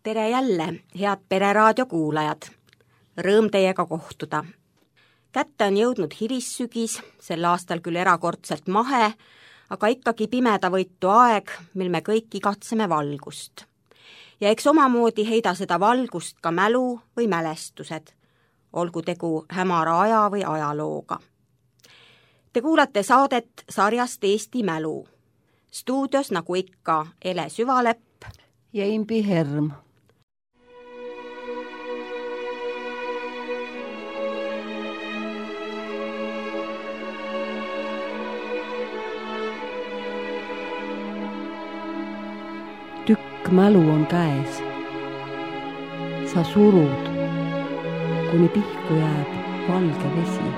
Tere jälle, head Pereraadio kuulajad! Rõõm teiega kohtuda. Kätte on jõudnud hilissügis, sel aastal küll erakordselt mahe, aga ikkagi pimedavõitu aeg, mil me kõik igatseme valgust. Ja eks omamoodi heida seda valgust ka mälu või mälestused, olgu tegu hämara aja või ajalooga. Te kuulate saadet sarjast Eesti mälu. Stuudios nagu ikka Ele Süvalepp ja Imbi Herm. Tükk mälu on käes. Sa surud, kuni pihku jääb valge vesi.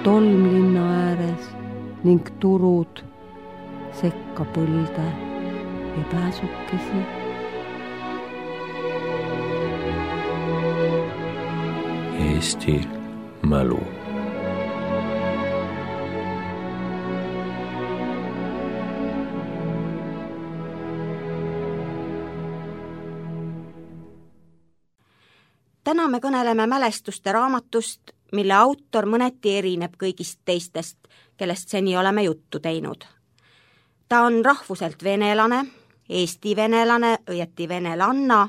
Tolm linna ääres ning turud sekka põlde ja pääsukesi. Eesti mälu. Täna me kõneleme mälestuste raamatust, mille autor mõneti erineb kõigist teistest, kellest seni oleme juttu teinud. Ta on rahvuselt venelane, eesti venelane, õieti venelanna,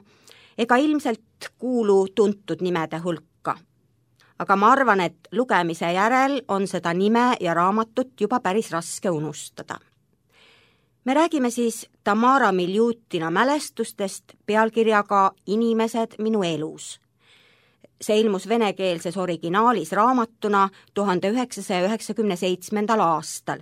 ega ilmselt kuulu tuntud nimede hulka. Aga ma arvan, et lugemise järel on seda nime ja raamatut juba päris raske unustada. Me räägime siis Tamara Miljutina mälestustest pealkirjaga Inimesed minu elus. See ilmus venekeelses originaalis raamatuna 1997. aastal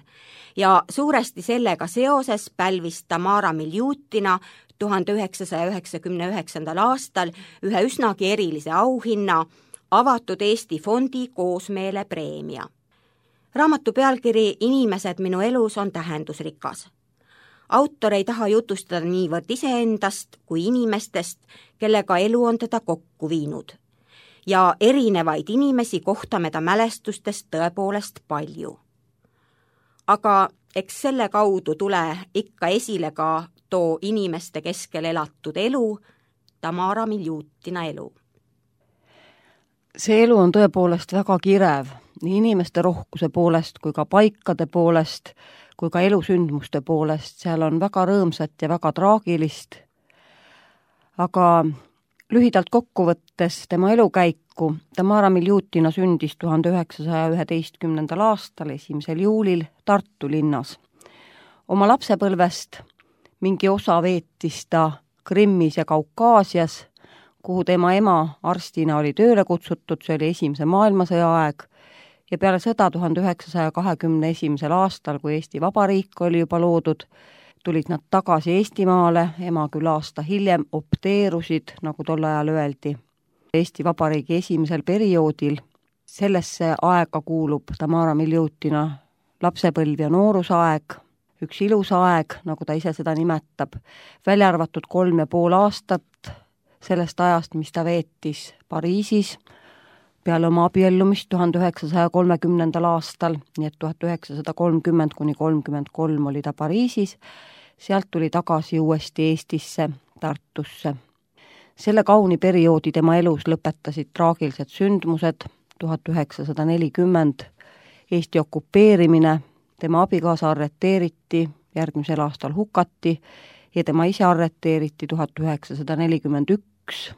ja suuresti sellega seoses pälvis Tamara Miljutina 1999. aastal ühe üsnagi erilise auhinna Avatud Eesti Fondi koosmeele preemia. Raamatu pealkiri Inimesed minu elus on tähendusrikas. Autor ei taha jutustada niivõrd iseendast kui inimestest, kellega elu on teda kokku viinud. Ja erinevaid inimesi kohtame ta mälestustest tõepoolest palju. Aga eks selle kaudu tule ikka esile ka too inimeste keskel elatud elu, Tamara Miljutina elu. See elu on tõepoolest väga kirev, nii inimeste rohkuse poolest kui ka paikade poolest, kui ka elusündmuste poolest. Seal on väga rõõmsat ja väga traagilist, aga lühidalt kokkuvõttes tema elukäiku. Tamara Miljutina sündis 1911. aastal 1. juulil Tartu linnas. Oma lapsepõlvest mingi osa veetis ta Krimmis ja Kaukaasias, kuhu tema ema arstina oli tööle kutsutud, see oli Esimese maailmasõja aeg, ja peale sõda 1921. aastal, kui Eesti Vabariik oli juba loodud, tulid nad tagasi Eestimaale, ema küll aasta hiljem opteerusid, nagu tol ajal öeldi. Eesti Vabariigi esimesel perioodil sellesse aega kuulub Tamara Miljutina lapsepõlv ja noorusaeg, üks ilus aeg, nagu ta ise seda nimetab, välja arvatud 3,5 aastat sellest ajast, mis ta veetis Pariisis peale oma abiellumist 1930. aastal, nii et 1930–33 oli ta Pariisis, sealt tuli tagasi uuesti Eestisse, Tartusse. Selle kauni perioodi tema elus lõpetasid traagilised sündmused, 1940 Eesti okupeerimine, tema abikaasa arreteeriti, järgmisel aastal hukati ja tema ise arreteeriti 1941,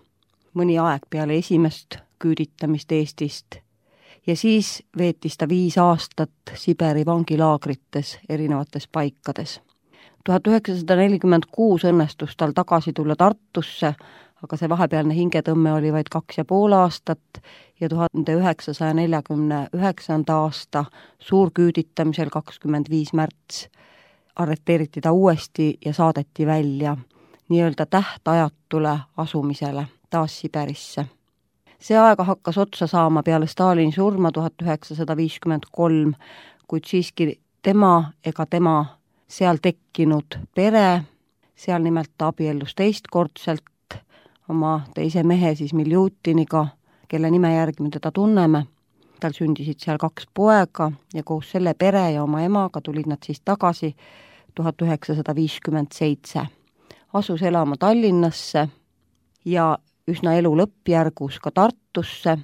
mõni aeg peale esimest küüditamist Eestist. Ja siis veetis ta 5 aastat Siberi vangilaagrites erinevates paikades. 1946 õnnestus tal tagasi tulla Tartusse, aga see vahepealne hingetõmme oli vaid 2,5 aastat ja 1949. aasta suurküüditamisel 25. märts arreteeriti ta uuesti ja saadeti välja nii-öelda tähtajatule asumisele taas Siberisse. See aega hakkas otsa saama peale Stalini surma 1953, kuid siiski tema ega tema seal tekkinud pere, seal nimelt ta abiellus teistkordselt oma teise mehe siis Miljutiniga, kelle nime järgi me teda tunneme. Tal sündisid seal 2 poega ja koos selle pere ja oma emaga tulid nad siis tagasi 1957. asus elama Tallinnasse ja üsna elu lõppjärgus ka Tartusse,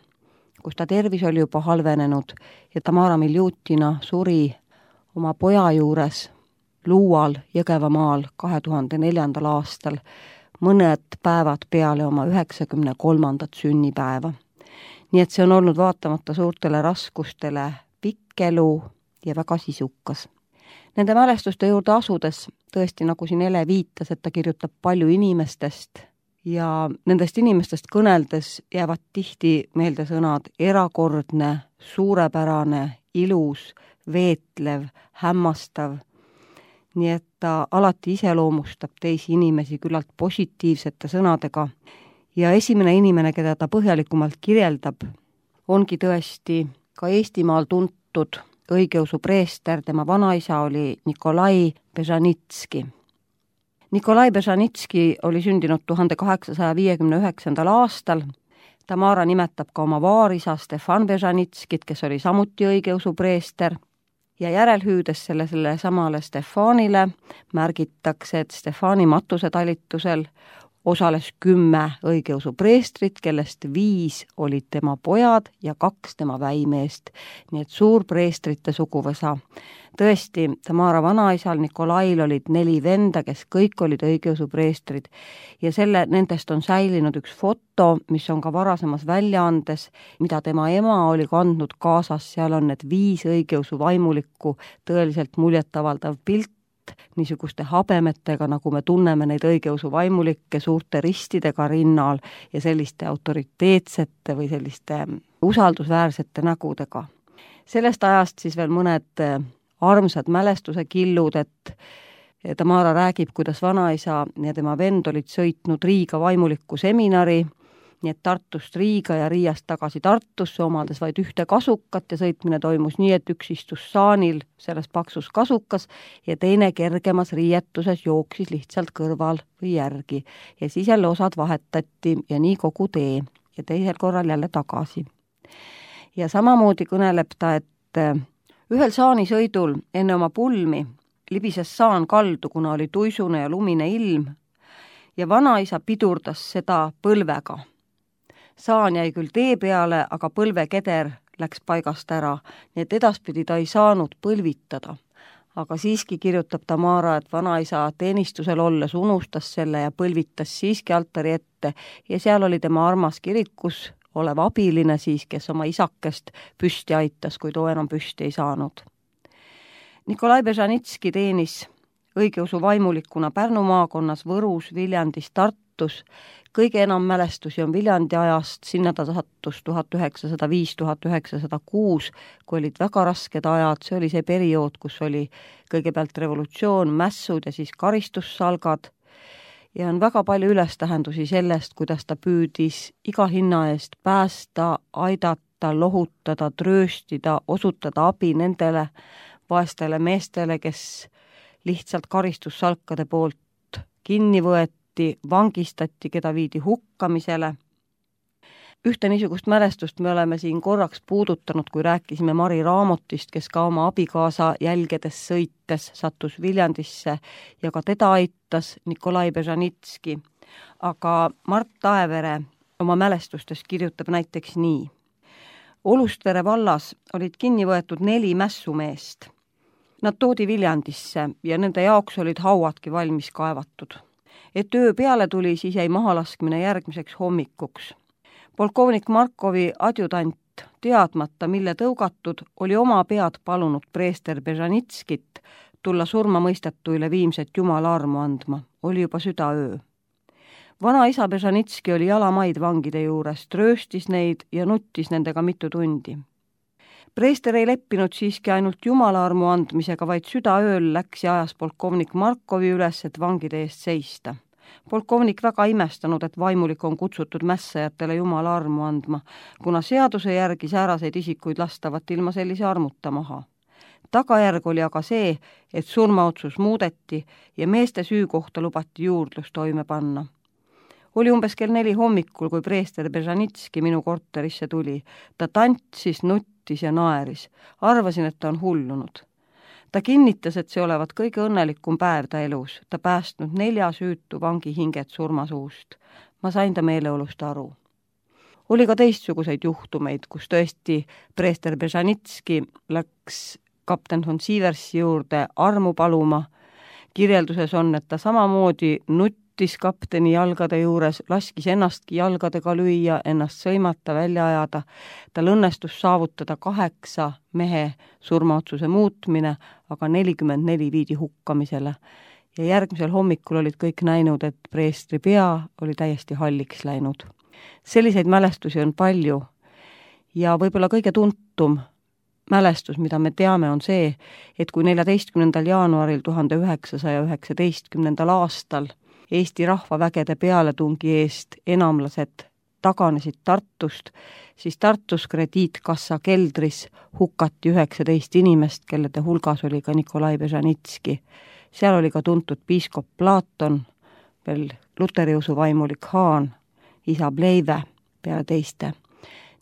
kus ta tervis oli juba halvenenud ja Tamara Miljutina suri oma poja juures Luual Jõgevamaal 2004. aastal, mõned päevad peale oma 93. sünnipäeva. Nii et see on olnud vaatamata suurtele raskustele pikk elu ja väga sisukas. Nende mälestuste juurde asudes, tõesti nagu siin Ele viitas, et ta kirjutab palju inimestest ja nendest inimestest kõneldes jäävad tihti meelde sõnad erakordne, suurepärane, ilus, veetlev, hämmastav. Nii et ta alati iseloomustab teisi inimesi küllalt positiivsete sõnadega ja esimene inimene, keda ta põhjalikumalt kirjeldab, ongi tõesti ka Eestimaal tuntud õigeusu preester, tema vanaisa oli Nikolai Bežanitski. Nikolai Bežanitski oli sündinud 1859. aastal. Tamara nimetab ka oma vaarisa Stefan Bežanitskit, kes oli samuti õigeusu preester. Ja järelhüüdes selle samale Stefanile märgitakse, et Stefani matusetalitusel osales 10 õigeusu preestrit, kellest 5 olid tema pojad ja 2 tema väimeest. Nii et suur preestrite suguvõsa. Tõesti, Tamara vanaisal Nikolail olid 4 venda, kes kõik olid õigeusu preestrid. Ja nendest on säilinud üks foto, mis on ka varasemas väljaandes, mida tema ema oli kandnud kaasas. Seal on need 5 õigeusu vaimulikku, tõeliselt muljetavaldav pilt, niisuguste habemetega, nagu me tunneme neid õigeusu vaimulikke, suurte ristidega rinnal ja selliste autoriteetsete või selliste usaldusväärsete nägudega. Sellest ajast siis veel mõned armsad mälestuse killud, et Tamara räägib, kuidas vanaisa ja tema vend olid sõitnud Riiga vaimulikku seminari, nii et Tartust Riiga ja Riiast tagasi Tartusse, omades vaid 1 kasukat ja sõitmine toimus nii, et üks istus saanil selles paksus kasukas ja teine kergemas riietuses jooksis lihtsalt kõrval või järgi. Ja siis jälle osad vahetati ja nii kogu tee ja teisel korral jälle tagasi. Ja samamoodi kõneleb ta, et ühel saanisõidul enne oma pulmi libises saan kaldu, kuna oli tuisune ja lumine ilm ja vanaisa pidurdas seda põlvega. Saan jäi küll tee peale, aga põlvekeder läks paigast ära, nii et edaspidi ta ei saanud põlvitada. Aga siiski kirjutab Tamara, et vanaisa teenistusel olles unustas selle ja põlvitas siiski altari ette ja seal oli tema armas kirikus olev abiline siis, kes oma isakest püsti aitas, kui too enam püsti ei saanud. Nikolai Bežanitski teenis õigeusu vaimulikuna Pärnu maakonnas, Võrus, Viljandis, Tartus. Kõige enam mälestusi on Viljandi ajast, sinna ta sattus 1905-1906, kui olid väga rasked ajad. See oli see periood, kus oli kõigepealt revolutsioon, mässud ja siis karistussalgad. Ja on väga palju ülestähendusi sellest, kuidas ta püüdis iga hinna eest päästa, aidata, lohutada, trööstida, osutada abi nendele vaestele meestele, kes lihtsalt karistussalkade poolt kinni võeti, vangistati, keda viidi hukkamisele. Ühte niisugust mälestust me oleme siin korraks puudutanud, kui rääkisime Mari Raamotist, kes ka oma abikaasa jälgedes sõites sattus Viljandisse ja ka teda aitas Nikolai Bežanitski. Aga Mart Taevere oma mälestustes kirjutab näiteks nii. Olustvere vallas olid kinni võetud 4 mässumeest. Nad toodi Viljandisse ja nende jaoks olid hauadki valmis kaevatud. Et öö peale tuli, siis jäi mahalaskmine järgmiseks hommikuks. Polkovnik Markovi adjutant, teadmata mille tõugatud, oli oma pead palunud preester Bežanitskit tulla surmamõistetuile viimset Jumala armu andma. Oli juba südaöö. Vanaisa Bežanitski oli jalamaid vangide juures, trööstis neid ja nuttis nendega mitu tundi. Preester ei leppinud siiski ainult Jumala armu andmisega, vaid südaööl läks ja ajas polkovnik Markovi üles, et vangide eest seista. Polkovnik väga imestanud, et vaimulik on kutsutud mässajatele Jumala armu andma, kuna seaduse järgi sääraseid isikuid lastavat ilma sellise armuta maha. Tagajärg oli aga see, et surmaotsus muudeti ja meeste süü kohta lubati juurdlus toime panna. Oli umbes kell 4 hommikul, kui preester Bežanitski minu korterisse tuli. Ta tantsis, nuttis ja naeris. Arvasin, et ta on hullunud. Ta kinnitas, et see olevat kõige õnnelikum päev ta elus. Ta päästnud 4 süütu vangi hinget surmasuust. Ma sain ta meeleolust aru. Oli ka teistsuguseid juhtumeid, kus tõesti preester Bežanitski läks kapten von Sieversi juurde armu paluma. Kirjelduses on, et ta samamoodi nuttis kapteni jalgade juures, laskis ennastki jalgadega lüüa, ennast sõimata, välja ajada. Tal õnnestus saavutada 8 mehe surmaotsuse muutmine, aga 44 viidi hukkamisele. Ja järgmisel hommikul olid kõik näinud, et preestri pea oli täiesti halliks läinud. Selliseid mälestusi on palju ja võib-olla kõige tuntum mälestus, mida me teame, on see, et kui 14. jaanuaril 1919. aastal Eesti rahvavägede pealetungi eest enamlased taganesid Tartust, siis Tartus krediitkassa keldris hukati 19 inimest, kellede hulgas oli ka Nikolai Bežanitski. Seal oli ka tuntud piiskop Platon, veel luteriusu vaimulik Haan, isa Pleive peale teiste.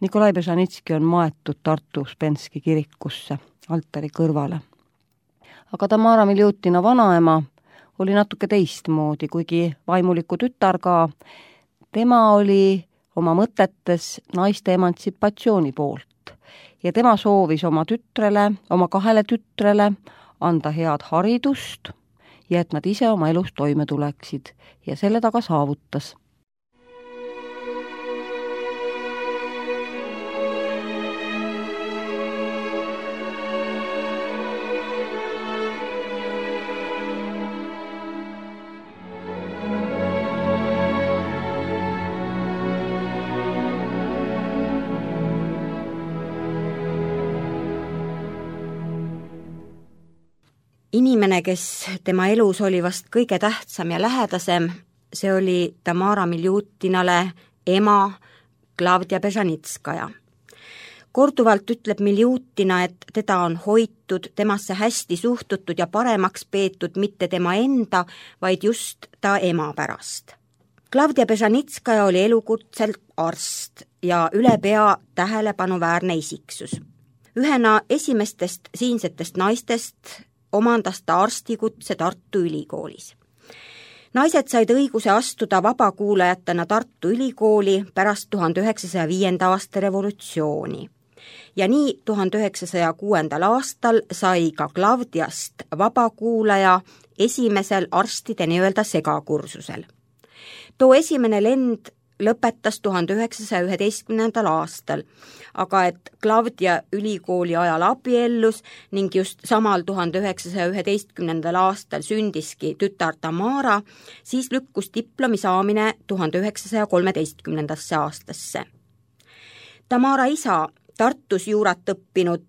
Nikolai Bežanitski on maetud Tartu Uspenski kirikusse altari kõrvale. Aga Tamara Miljutina vanaema oli natuke teistmoodi, kuigi vaimuliku tütar ka. Tema oli oma mõtetes naiste emantsipatsiooni poolt ja tema soovis oma 2 tütrele anda head haridust ja et nad ise oma elus toime tuleksid ja selle taga saavutas. Inimene, kes tema elus oli vast kõige tähtsam ja lähedasem, see oli Tamara Miljutinale ema Klavdia Bežanitskaja. Korduvalt ütleb Miljutina, et teda on hoitud, temasse hästi suhtutud ja paremaks peetud mitte tema enda, vaid just ta ema pärast. Klavdia Bežanitskaja oli elukutselt arst ja ülepea tähelepanuväärne isiksus. Ühena esimestest siinsetest naistest omandas ta arstikutse Tartu Ülikoolis. Naised said õiguse astuda vabakuulajatena Tartu Ülikooli pärast 1905. aasta revolutsiooni. Ja nii 1906. aastal sai ka Klavdiast vabakuulaja esimesel arstide nii-öelda segakursusel. Too esimene lend lõpetas 1911. aastal, aga et Klavdia ülikooli ajal abiellus ning just samal 1911. aastal sündiski tütar Tamara, siis lükkus diplomi saamine 1913. aastasse. Tamara isa, Tartus juurat õppinud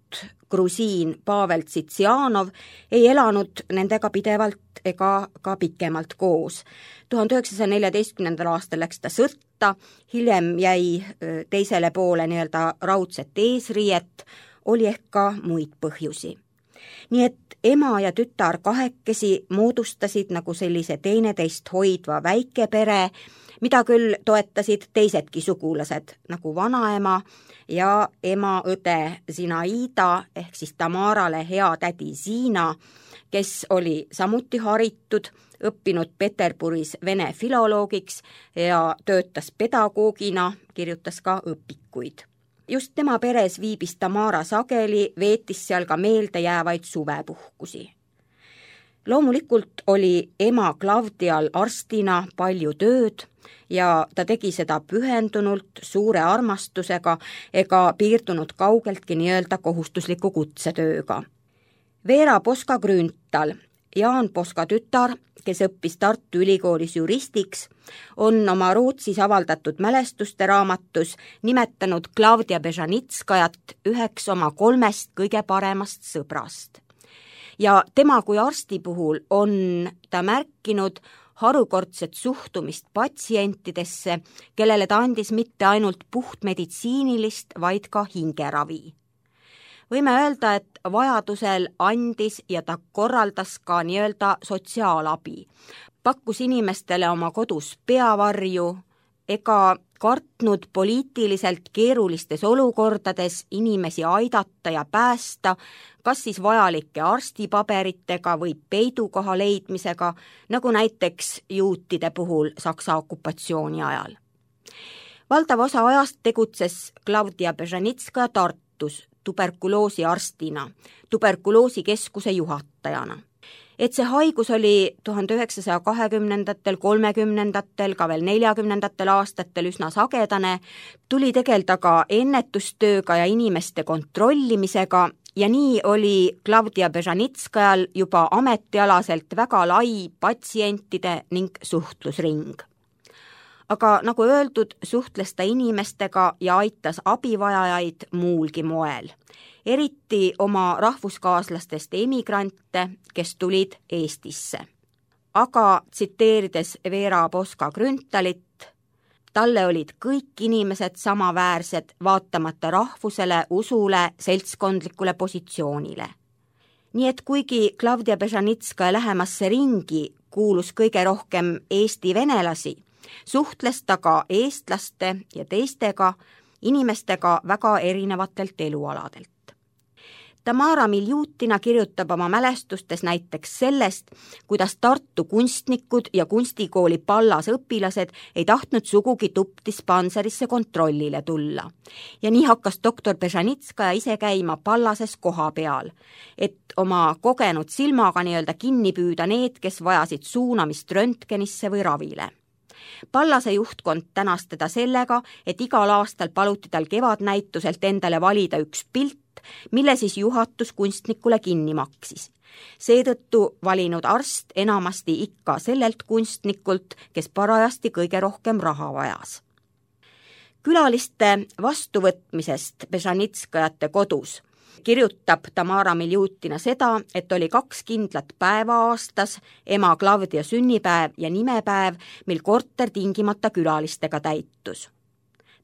grusiin Pavel Tsitsianov ei elanud nendega pidevalt ega ka pikemalt koos. 1914. aastal läks ta sõtta, hiljem jäi teisele poole nii-öelda raudset eesriiet, oli ehk ka muid põhjusi. Nii et ema ja tütar kahekesi moodustasid nagu sellise teineteist hoidva väikepere, mida küll toetasid teisedki sugulased, nagu vanaema ja ema õde Zinaida ehk siis Tamarale hea tädi Zina, kes oli samuti haritud, õppinud Peterburis vene filoloogiks ja töötas pedagoogina, kirjutas ka õpikuid. Just tema peres viibis Tamara sageli, veetis seal ka meeldejäävaid suvepuhkusi. Loomulikult oli ema Klavdial arstina palju tööd ja ta tegi seda pühendunult, suure armastusega ega piirdunud kaugeltki nii-öelda kohustusliku kutsetööga. Veera Poska-Grünthal, Jaan Poska tütar, kes õppis Tartu Ülikoolis juristiks, on oma Rootsis avaldatud mälestuste raamatus nimetanud Klavdia Bežanitskajat üheks oma 3 kõige paremast sõbrast. Ja tema kui arsti puhul on ta märkinud harukordset suhtumist patsientidesse, kellele ta andis mitte ainult puhtmeditsiinilist, vaid ka hingeravi. Võime öelda, et vajadusel andis ja ta korraldas ka nii-öelda sotsiaalabi. Pakkus inimestele oma kodus peavarju, ega kartnud poliitiliselt keerulistes olukordades inimesi aidata ja päästa, kas siis vajalike arstipaberitega või peidukoha leidmisega, nagu näiteks juutide puhul Saksa okupatsiooni ajal. Valdav osa ajast tegutses Klavdia Bežanitskaja Tartus tuberkuloosiarstina, tuberkuloosikeskuse juhatajana. Et see haigus oli 1920-ndatel, 30-ndatel, ka veel 40-ndatel aastatel üsna sagedane, tuli tegelda ka ennetustööga ja inimeste kontrollimisega ja nii oli Klavdia Bežanitskajal juba ametialaselt väga lai patsientide ning suhtlusring. Aga nagu öeldud, suhtles ta inimestega ja aitas abivajajaid muulgi moel. Eriti oma rahvuskaaslastest emigrante, kes tulid Eestisse. Aga tsiteerides Veera Poska-Grüntalit, talle olid kõik inimesed samaväärsed, vaatamata rahvusele, usule, seltskondlikule positsioonile. Nii et kuigi Klavdia Bežanitskaja lähemasse ringi kuulus kõige rohkem eesti venelasi, suhtles ta ka eestlaste ja teistega inimestega väga erinevatelt elualadelt. Tamara Miljutina kirjutab oma mälestustes näiteks sellest, kuidas Tartu kunstnikud ja kunstikooli Pallas õpilased ei tahtnud sugugi tuppdispanserisse kontrollile tulla. Ja nii hakkas doktor Bežanitskaja ise käima Pallases koha peal, et oma kogenud silmaga nii-öelda kinni püüda need, kes vajasid suunamist röntgenisse või ravile. Pallase juhtkond tänas teda sellega, et igal aastal paluti tal kevadnäituselt endale valida üks pilt, mille siis juhatus kunstnikule kinni maksis. Seetõttu valinud arst enamasti ikka sellelt kunstnikult, kes parajasti kõige rohkem raha vajas. Külaliste vastuvõtmisest Bežanitskajate kodus kirjutab Tamara Miljutina seda, et oli 2 kindlat päeva aastas, ema Klavdia sünnipäev ja nimepäev, mil korter tingimata külalistega täitus.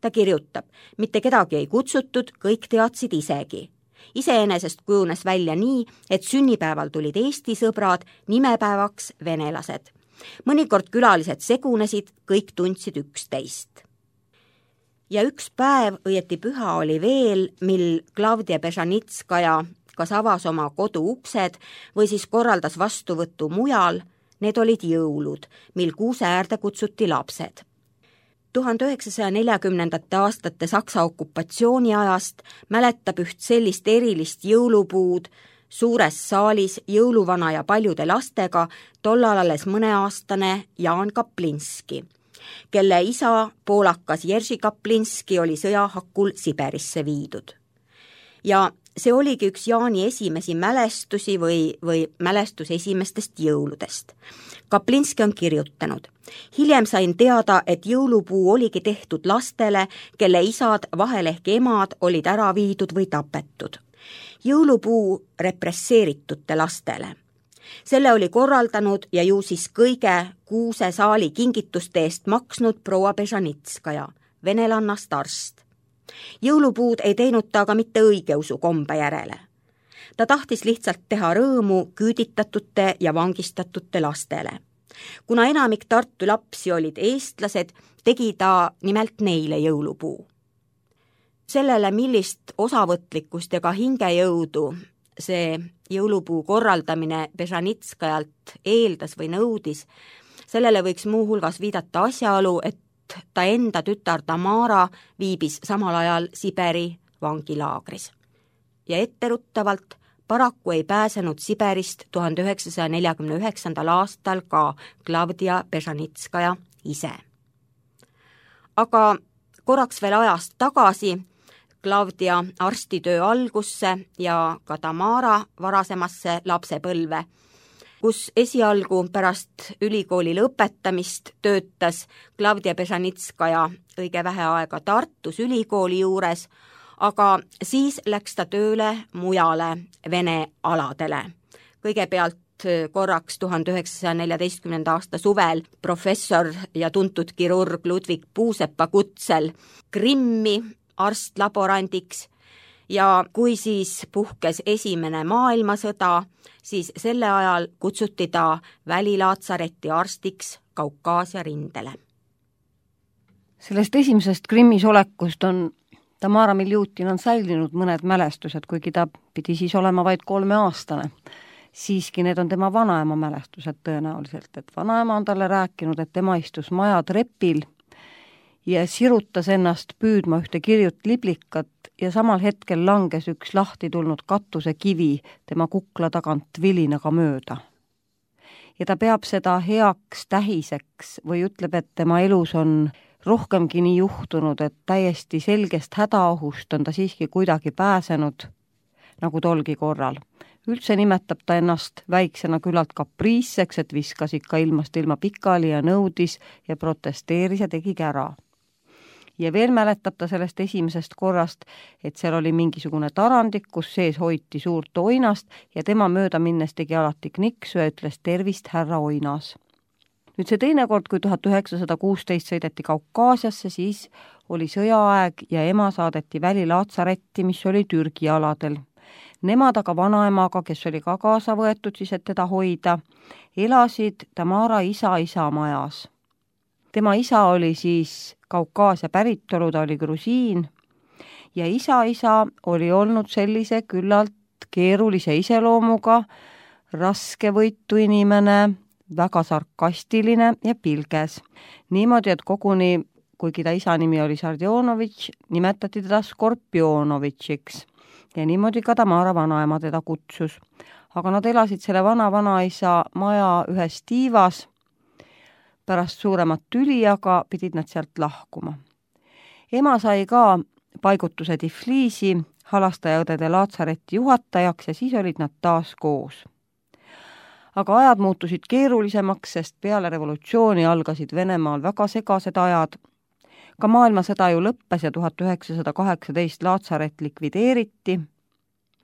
Ta kirjutab, mitte kedagi ei kutsutud, kõik teadsid isegi. Iseenesest kujunes välja nii, et sünnipäeval tulid Eesti sõbrad, nimepäevaks venelased. Mõnikord külalised segunesid, kõik tundsid üksteist. Ja üks päev, õieti püha oli veel, mil Klavdia Bežanitskaja kas avas oma kodu uksed või siis korraldas vastuvõttu mujal, need olid jõulud, mil kuuse äärde kutsuti lapsed. 1940. aastate Saksa okupatsiooni ajast mäletab üht sellist erilist jõulupuud suures saalis jõuluvana ja paljude lastega tollal alles mõneaastane Jaan Kaplinski, kelle isa, poolakas Jerzy Kaplinski, oli sõjahakul Siberisse viidud. Ja see oligi üks Jaani esimesi mälestusi või mälestus esimestest jõuludest. Kaplinski on kirjutanud: hiljem sain teada, et jõulupuu oligi tehtud lastele, kelle isad, vahel ehk emad, olid ära viidud või tapetud. Jõulupuu represseeritute lastele. Selle oli korraldanud ja ju siis kõige kuuse saali kingituste eest maksnud proua Bežanitskaja, venelannast arst. Jõulupuud ei teinud ta aga mitte õigeusu kombe järele. Ta tahtis lihtsalt teha rõõmu küüditatute ja vangistatute lastele. Kuna enamik Tartu lapsi olid eestlased, tegi ta nimelt neile jõulupuu. Sellele, millist osavõtlikkust ja ka hingejõudu see jõulupuu korraldamine Bežanitskajalt eeldas või nõudis, sellele võiks muuhulgas viidata asjaolu, et ta enda tütar Tamara viibis samal ajal Siberi vangilaagris. Ja etteruttavalt paraku ei pääsenud Siberist 1949. aastal ka Klavdia Bežanitskaja ise. Aga korraks veel ajast tagasi Klavdia arstitöö algusse ja ka Tamara varasemasse lapsepõlve, kus esialgu pärast ülikooli lõpetamist töötas Klavdia Bežanitskaja õige vähe aega Tartus ülikooli juures, aga siis läks ta tööle mujale Vene aladele. Kõigepealt korraks 1914. aasta suvel professor ja tuntud kirurg Ludwig Puusepa kutsel Krimmi arstlaborandiks ja kui siis puhkes esimene maailmasõda, siis selle ajal kutsuti ta välilaatsareti arstiks Kaukaasia rindele. Sellest esimesest Krimmis olekust on Tamara Miljutin on säilinud mõned mälestused, kuigi ta pidi siis olema vaid 3-aastane. Siiski need on tema vanaema mälestused tõenäoliselt, et vanaema on talle rääkinud, et tema istus maja trepil ja sirutas ennast püüdma ühte kirjut liblikat ja samal hetkel langes üks lahti tulnud katusekivi tema kukla tagant vilinaga mööda. Ja ta peab seda heaks tähiseks või ütleb, et tema elus on rohkemgi nii juhtunud, et täiesti selgest hädaohust on ta siiski kuidagi pääsenud, nagu tolgi korral. Üldse nimetab ta ennast väiksena küllalt kapriisseks, et viskas ikka ilmast ilma pikali ja nõudis ja protesteeris ja tegi kära. Ja veel mäletab ta sellest esimesest korrast, et seal oli mingisugune tarandik, kus sees hoiti suurt oinast ja tema mööda minnes tegi alati kniksu ja ütles tervist, härra Oinas. Nüüd see teine kord, kui 1916 sõideti Kaukaasiasse, siis oli sõjaaeg ja ema saadeti välilaatsareti, mis oli Türgi aladel. Nemad aga vanaemaga, kes oli ka kaasa võetud siis, et teda hoida, elasid Tamara isa majas. Tema isa oli siis Kaukaasia päritolu, ta oli grusiin ja isa oli olnud sellise küllalt keerulise iseloomuga, raskevõitu inimene, väga sarkastiline ja pilges. Niimoodi, et koguni, kuigi ta isa nimi oli Sardjonovitš, nimetati teda Skorpionovitšiks. Ja niimoodi ka Tamara vanaema teda kutsus. Aga nad elasid selle vanaisa maja ühes tiivas. Pärast suuremat tüli, aga pidid nad sealt lahkuma. Ema sai ka paigutuse Tifliisi halastajaõdede laatsareti juhatajaks ja siis olid nad taas koos. Aga ajad muutusid keerulisemaks, sest peale revolutsiooni algasid Venemaal väga segased ajad. Ka maailmasõda ju lõppes ja 1918 laatsaret likvideeriti.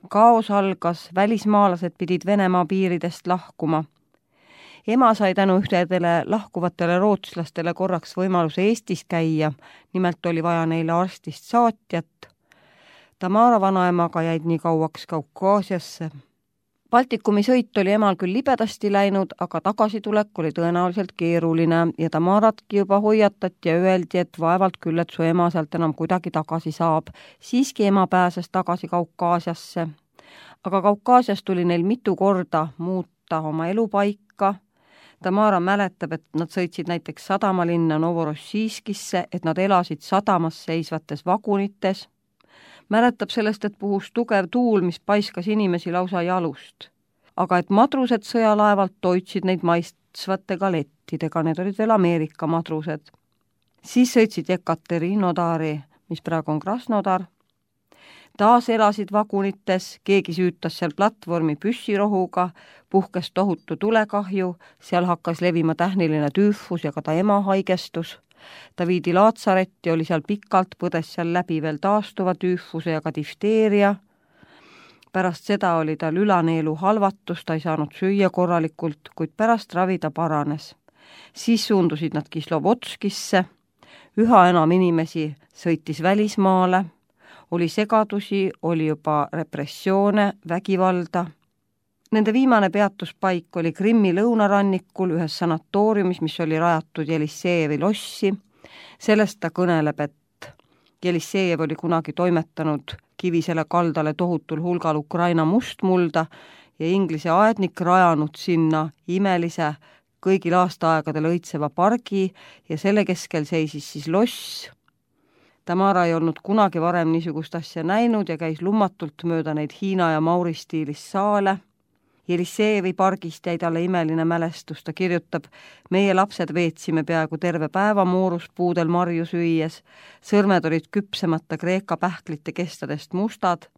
Kaos algas, välismaalased pidid Venemaa piiridest lahkuma. Ema sai tänu ühtedele lahkuvatele rootslastele korraks võimaluse Eestis käia, nimelt oli vaja neile arstist saatjat. Tamara vanaemaga jäid nii kauaks Kaukaasiasse. Baltikumi sõit oli emal küll libedasti läinud, aga tagasitulek oli tõenäoliselt keeruline ja Tamaratki juba hoiatati ja öeldi, et vaevalt küll, et su ema sealt enam kuidagi tagasi saab. Siiski ema pääses tagasi Kaukaasiasse. Aga Kaukaasias tuli neil mitu korda muuta oma elupaika. Tamara mäletab, et nad sõitsid näiteks sadamalinna Novorossijskisse, et nad elasid sadamas seisvates vagunites. Mäletab sellest, et puhus tugev tuul, mis paiskas inimesi lausa jalust. Aga et madrused sõjalaevalt toitsid neid maistvate galettidega, need olid veel Ameerika madrused. Siis sõitsid Ekaterinodari, mis praegu on Krasnodar. Taas elasid vagunites, keegi süütas seal platvormi püssirohuga, puhkes tohutu tulekahju, seal hakkas levima tähniline tüüfus ja ka ta ema haigestus. Ta viidi laatsaretti, oli seal pikalt, põdes seal läbi veel taastuva tüüfuse ja ka difteeria. Pärast seda oli tal ülaneelu halvatus, ta ei saanud süüa korralikult, kuid pärast ravi ta paranes. Siis suundusid nad Kislovodskisse, üha enam inimesi sõitis välismaale, oli segadusi, oli juba repressioone, vägivalda. Nende viimane peatuspaik oli Krimmi lõunarannikul ühes sanatooriumis, mis oli rajatud Jelissejevi lossi. Sellest ta kõneleb, et Jelissejev oli kunagi toimetanud kivisele kaldale tohutul hulgal Ukraina mustmulda ja Inglise aednik rajanud sinna imelise kõigil aastaaegadel õitseva pargi ja selle keskel seisis siis loss. Tamara ei olnud kunagi varem niisugust asja näinud ja käis lummatult mööda neid Hiina ja Mauri stiilis saale. Jelissejevi pargist jäi talle imeline mälestus, ta kirjutab, meie lapsed veetsime peaaegu terve päeva mooruspuudel marju süües, sõrmed olid küpsemata Kreeka pähklite kestadest mustad,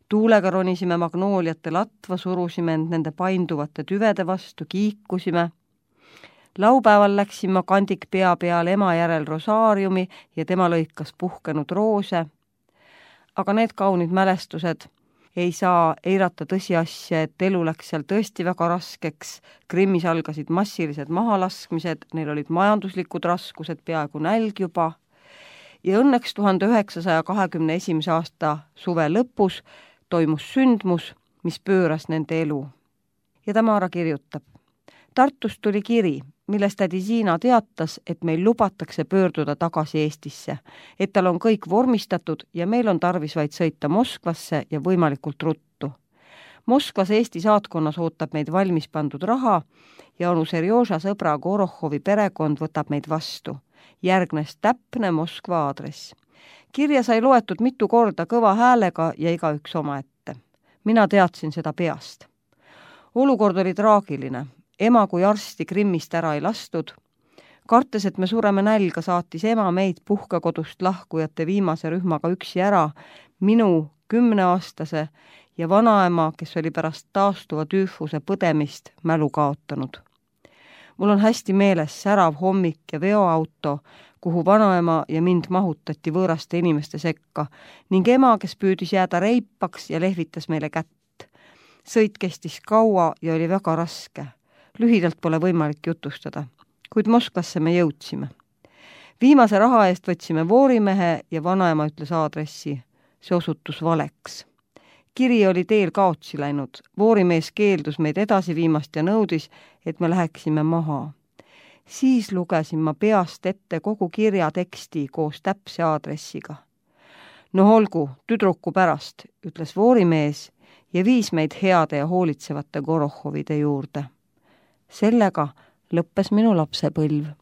tuulega ronisime magnooliate latva, surusime end nende painduvate tüvede vastu, kiikusime. Laupäeval läksime kandik pea peal ema järel rosaariumi ja tema lõikas puhkenud roose. Aga need kaunid mälestused ei saa eirata tõsiasja, et elu läks seal tõesti väga raskeks. Krimmis algasid massilised mahalaskmised, neil olid majanduslikud raskused, peaaegu nälg juba. Ja õnneks 1921. aasta suve lõpus toimus sündmus, mis pööras nende elu. Ja Tamara kirjutab. Tartust tuli kiri. milles tädi Siina teatas, et meil lubatakse pöörduda tagasi Eestisse, et tal on kõik vormistatud ja meil on tarvis vaid sõita Moskvasse ja võimalikult ruttu. Moskvas Eesti saatkonnas ootab meid valmis pandud raha ja onu Serjoža sõbra Gorohovi perekond võtab meid vastu. Järgnes täpne Moskva aadress. Kirja sai loetud mitu korda kõva häälega ja igaüks omaette. Mina teadsin seda peast. Olukord oli traagiline. Ema kui arsti Krimmist ära ei lastud. Kartes, et me sureme nälga, saatis ema meid puhkekodust lahkujate viimase rühmaga üksi ära, minu 10-aastase ja vanaema, kes oli pärast taastuva tüüfuse põdemist mälu kaotanud. Mul on hästi meeles särav hommik ja veoauto, kuhu vanaema ja mind mahutati võõraste inimeste sekka ning ema, kes püüdis jääda reipaks ja lehvitas meile kätt. Sõit kestis kaua ja oli väga raske. Lühidalt pole võimalik jutustada, kuid Moskvasse me jõudsime. Viimase raha eest võtsime voorimehe ja vanaema ütles aadressi. See osutus valeks. Kiri oli teel kaotsi läinud. Voorimees keeldus meid edasi viimast ja nõudis, et me läheksime maha. Siis lugesin ma peast ette kogu kirja teksti koos täpse aadressiga. No olgu, tüdruku pärast, ütles voorimees ja viis meid heade ja hoolitsevate Gorohovide juurde. Sellega lõppes minu lapsepõlv.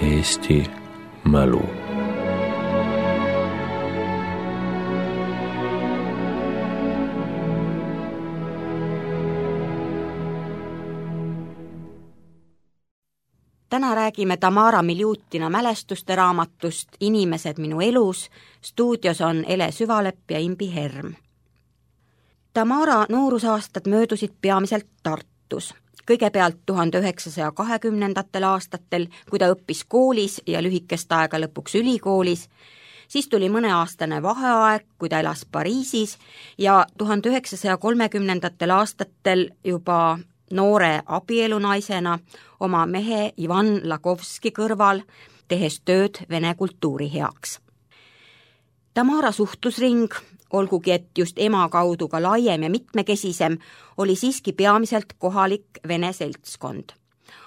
Eesti mälu. Täna räägime Tamara Miljutina mälestuste raamatust Inimesed minu elus. Stuudios on Ele Süvalepp ja Imbi Herm. Tamara noorusaastad möödusid peamiselt Tartus. Kõigepealt 1920. aastatel, kui ta õppis koolis ja lühikest aega lõpuks ülikoolis, siis tuli mõneaastane vaheaeg, kui ta elas Pariisis ja 1930. aastatel juba noore abielunaisena oma mehe Ivan Lagovski kõrval, tehes tööd vene kultuuri heaks. Tamara suhtlusring, olgugi et just ema kaudu ka laiem ja mitmekesisem, oli siiski peamiselt kohalik vene seltskond.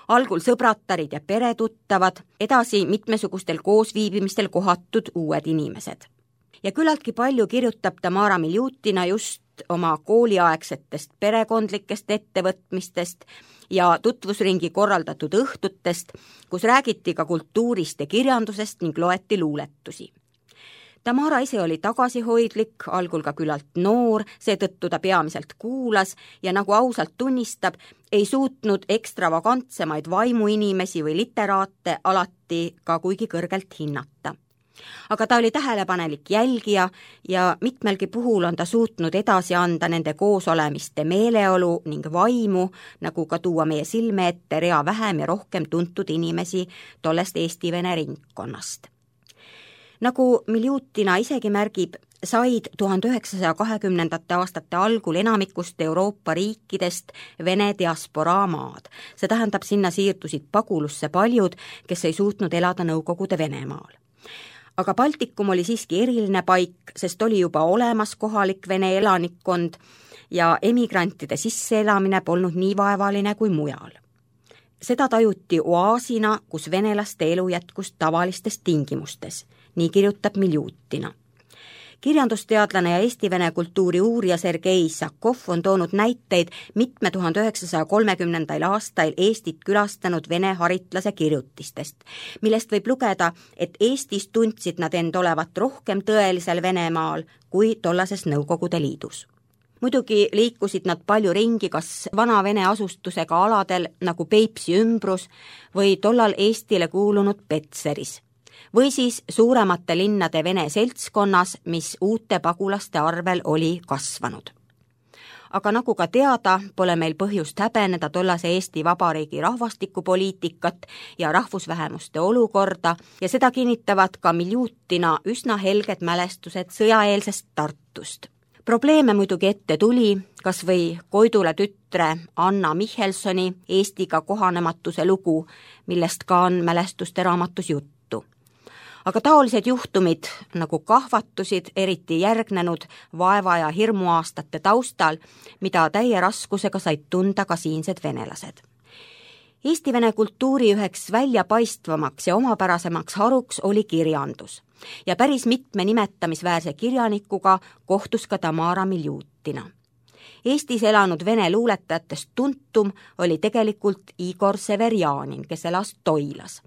Algul sõbratarid ja peretuttavad, edasi mitmesugustel koosviibimistel kohatud uued inimesed. Ja küllaltki palju kirjutab Tamara Miljutina just oma kooliaegsetest perekondlikest ettevõtmistest ja tutvusringi korraldatud õhtutest, kus räägiti ka kultuurist ja kirjandusest ning loeti luuletusi. Tamara ise oli tagasihoidlik, algul ka küllalt noor, seetõttu ta peamiselt kuulas ja nagu ausalt tunnistab, ei suutnud ekstravagantsemaid vaimuinimesi või literaate alati ka kuigi kõrgelt hinnata. Aga ta oli tähelepanelik jälgija ja mitmelgi puhul on ta suutnud edasi anda nende koosolemiste meeleolu ning vaimu, nagu ka tuua meie silme ette rea vähem ja rohkem tuntud inimesi tollest Eesti-Vene ringkonnast. Nagu Miljutina isegi märgib, said 1920. aastate algul enamikust Euroopa riikidest Vene diasporaa maad. See tähendab, sinna siirdusid pagulusse paljud, kes ei suutnud elada Nõukogude Venemaal. Aga Baltikum oli siiski eriline paik, sest oli juba olemas kohalik vene elanikkond ja emigrantide sisseelamine polnud nii vaevaline kui mujal. Seda tajuti oaasina, kus venelaste elu jätkus tavalistes tingimustes, nii kirjutab Miljutina. Kirjandusteadlane ja Eesti-Vene kultuuri uurija Sergei Sakov on toonud näiteid mitme 1930. aastail Eestit külastanud vene haritlase kirjutistest, millest võib lugeda, et Eestis tundsid nad end olevat rohkem tõelisel Venemaal kui tollases Nõukogude Liidus. Muidugi liikusid nad palju ringi kas vana vene asustusega aladel nagu Peipsi ümbrus või tollal Eestile kuulunud Petseris või siis suuremate linnade vene seltskonnas, mis uute pagulaste arvel oli kasvanud. Aga nagu ka teada, pole meil põhjust häbeneda tollase Eesti Vabariigi rahvastikupoliitikat ja rahvusvähemuste olukorda ja seda kinnitavad ka Miljutina üsna helged mälestused sõjaeelsest Tartust. Probleeme muidugi ette tuli, kas või Koidula tütre Anna Michelsoni Eestiga kohanematuse lugu, millest ka on mälestuste raamatus juttu. Aga taolised juhtumid nagu kahvatusid, eriti järgnenud vaeva ja hirmuaastate taustal, mida täie raskusega said tunda ka siinsed venelased. Eesti-Vene kultuuri üheks väljapaistvamaks ja omapärasemaks haruks oli kirjandus ja päris mitme nimetamisväärse kirjanikuga kohtus ka Tamara Miljutina. Eestis elanud vene luuletajatest tuntum oli tegelikult Igor Severjanin, kes elas Toilas.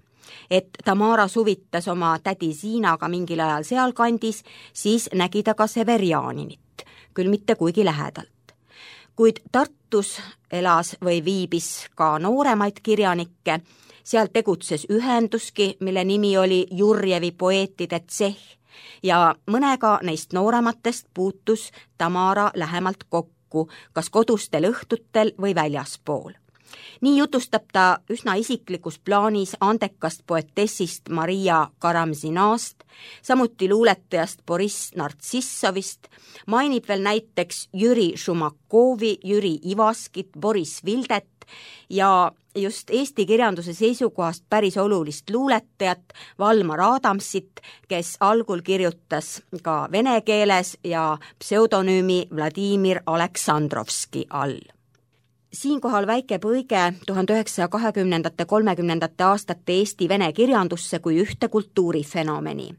Et Tamara suvitas oma tädi Ziinaga mingil ajal sealkandis, siis nägi ta ka Severjaninit, küll mitte kuigi lähedalt. Kuid Tartus elas või viibis ka nooremaid kirjanikke, seal tegutses ühenduski, mille nimi oli Jurjevi poeetide tsehh ja mõnega neist noorematest puutus Tamara lähemalt kokku, kas kodustel õhtutel või väljaspool. nii jutustab ta üsna isiklikus plaanis andekast poetessist Maria Karamzinast, samuti luuletajast Boriss Nartsissovist, mainib veel näiteks Jüri Šumakovi, Jüri Ivaskit, Boris Vildet ja just eesti kirjanduse seisukohast päris olulist luuletajat Valmar Adamsit, kes algul kirjutas ka vene keeles ja pseudonüümi Vladimir Aleksandrovski all. Siinkohal väike põige 1920-30 aastate Eesti vene kirjandusse kui ühte kultuurifenomeni.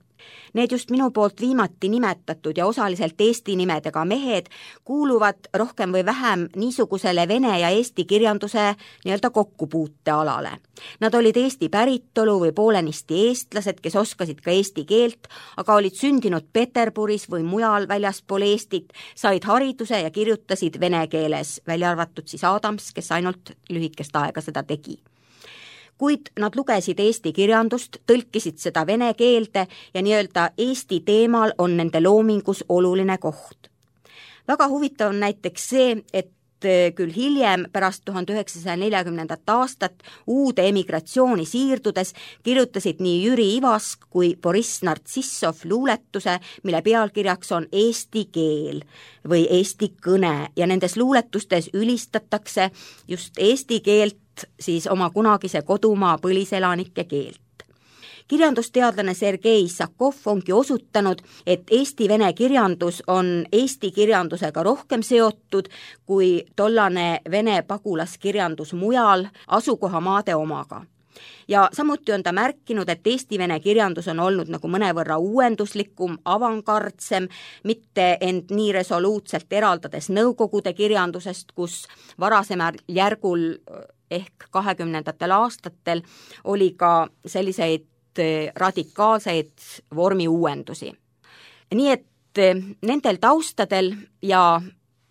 Need just minu poolt viimati nimetatud ja osaliselt eesti nimedega mehed kuuluvad rohkem või vähem niisugusele vene ja eesti kirjanduse nii-öelda kokkupuutealale. Nad olid Eesti päritolu või poolenisti eestlased, kes oskasid ka eesti keelt, aga olid sündinud Peterburis või mujal väljaspool Eestit, said hariduse ja kirjutasid vene keeles, välja arvatud siis Adams, kes ainult lühikest aega seda tegi. Kuid nad lugesid eesti kirjandust, tõlkisid seda vene keelde ja nii-öelda Eesti teemal on nende loomingus oluline koht. Väga huvitav on näiteks see, et küll hiljem pärast 1940. aastat uude emigratsiooni siirdudes kirjutasid nii Jüri Ivask kui Boriss Nartsissov luuletuse, mille pealkirjaks on Eesti keel või eesti kõne ja nendes luuletustes ülistatakse just eesti keelt, siis oma kunagise kodumaa põliselanike keelt. Kirjandusteadlane Sergei Issakov ongi osutanud, et eesti-vene kirjandus on eesti kirjandusega rohkem seotud kui tollane vene pagulaskirjandus mujal asukohamaade omaga. Ja samuti on ta märkinud, et eesti-vene kirjandus on olnud nagu mõnevõrra uuenduslikum, avangardsem, mitte end nii resoluutselt eraldades nõukogude kirjandusest, kus varasemal järgul ehk 20. aastatel oli ka selliseid radikaalseid vormi uuendusi. Nii et nendel taustadel ja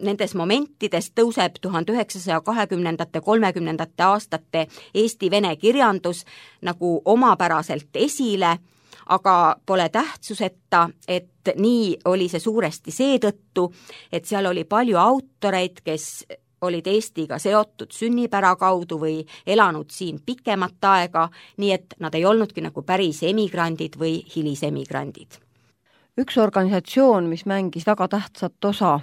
nendes momentides tõuseb 1920-30 aastate eesti-vene kirjandus nagu omapäraselt esile, aga pole tähtsuseta, et nii oli see suuresti seetõttu, et seal oli palju autoreid, kes olid Eestiga seotud sünnipära kaudu või elanud siin pikemat aega, nii et nad ei olnudki nagu päris emigrandid või hilisemigrandid. Üks organisatsioon, mis mängis väga tähtsat osa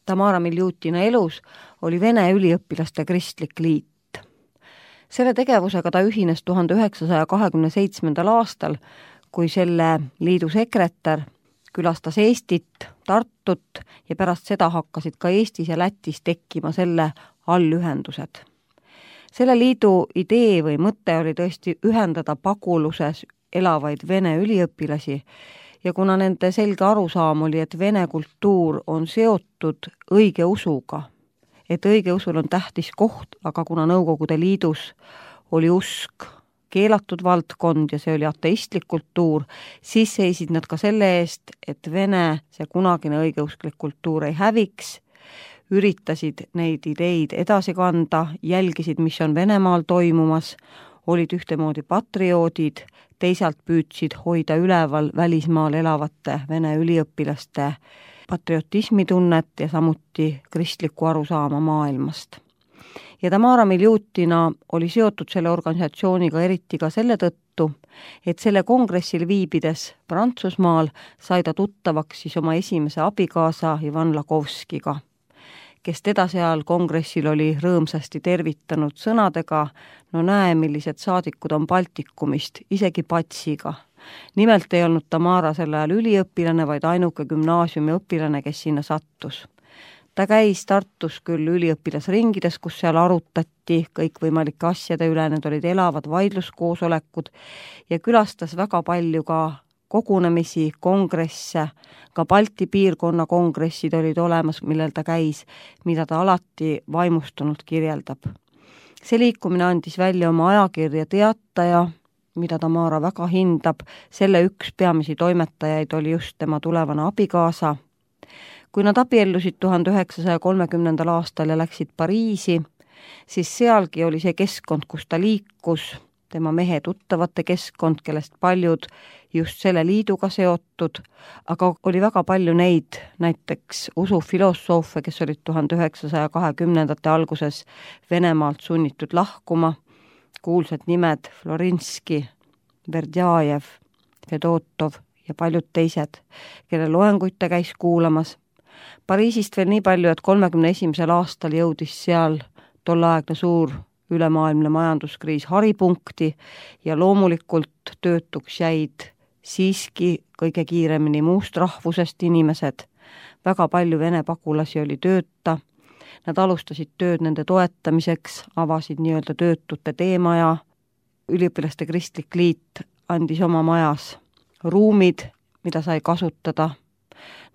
Tamara Miljutina elus, oli Vene üliõpilaste kristlik liit. Selle tegevusega ta ühines 1927. aastal, kui selle liidu sekretär külastas Eestit, Tartut ja pärast seda hakkasid ka Eestis ja Lätis tekkima selle allühendused. Selle liidu idee või mõte oli tõesti ühendada paguluses elavaid vene üliõpilasi ja kuna nende selge arusaam oli, et vene kultuur on seotud õigeusuga, et õigeusul on tähtis koht, aga kuna Nõukogude Liidus oli usk keelatud valdkond ja see oli ateistlik kultuur, siis seisid nad ka selle eest, et vene, see kunagine õigeusklik kultuur ei häviks, üritasid neid ideid edasi kanda, jälgisid, mis on Venemaal toimumas, olid ühtemoodi patrioodid, teisalt püüdsid hoida üleval välismaal elavate vene üliõpilaste patriotismitunnet ja samuti kristlikku arusaama maailmast. Ja Tamara Miljutina oli seotud selle organisatsiooniga eriti ka selle tõttu, et selle kongressil viibides Prantsusmaal sai ta tuttavaks siis oma esimese abikaasa Ivan Lakovskiga, kes teda seal kongressil oli rõõmsasti tervitanud sõnadega, no näe, millised saadikud on Baltikumist, isegi patsiga. Nimelt ei olnud Tamara sel ajal üliõpilane, vaid ainuke gümnaasiumi õpilane, kes sinna sattus. Ta käis Tartus küll üliõpilasringides, kus seal arutati kõikvõimalike asjade üle, need olid elavad vaidluskoosolekud ja külastas väga palju ka kogunemisi, kongresse, ka Balti piirkonna kongressid olid olemas, millel ta käis, mida ta alati vaimustunult kirjeldab. See liikumine andis välja oma ajakirja Teataja, mida Tamara väga hindab, selle üks peamisi toimetajaid oli just tema tulevane abikaasa. Kui nad abiellusid 1930. aastal ja läksid Pariisi, siis sealgi oli see keskkond, kus ta liikus, tema mehe tuttavate keskkond, kellest paljud just selle liiduga seotud, aga oli väga palju neid, näiteks usufilosoofe, kes olid 1920. alguses Venemaalt sunnitud lahkuma, kuulsad nimed Florinski, Verdjajev, Fedotov ja paljud teised, kelle loenguid ta käis kuulamas. Pariisist veel nii palju, et 1931. aastal jõudis seal tolleaegne suur ülemaailmne majanduskriis haripunkti ja loomulikult töötuks jäid siiski kõige kiiremini muust rahvusest inimesed. Väga palju vene pagulasi oli tööta. Nad alustasid tööd nende toetamiseks, avasid nii-öelda töötute teemaja. Üliõpilaste kristlik liit andis oma majas ruumid, mida sai kasutada.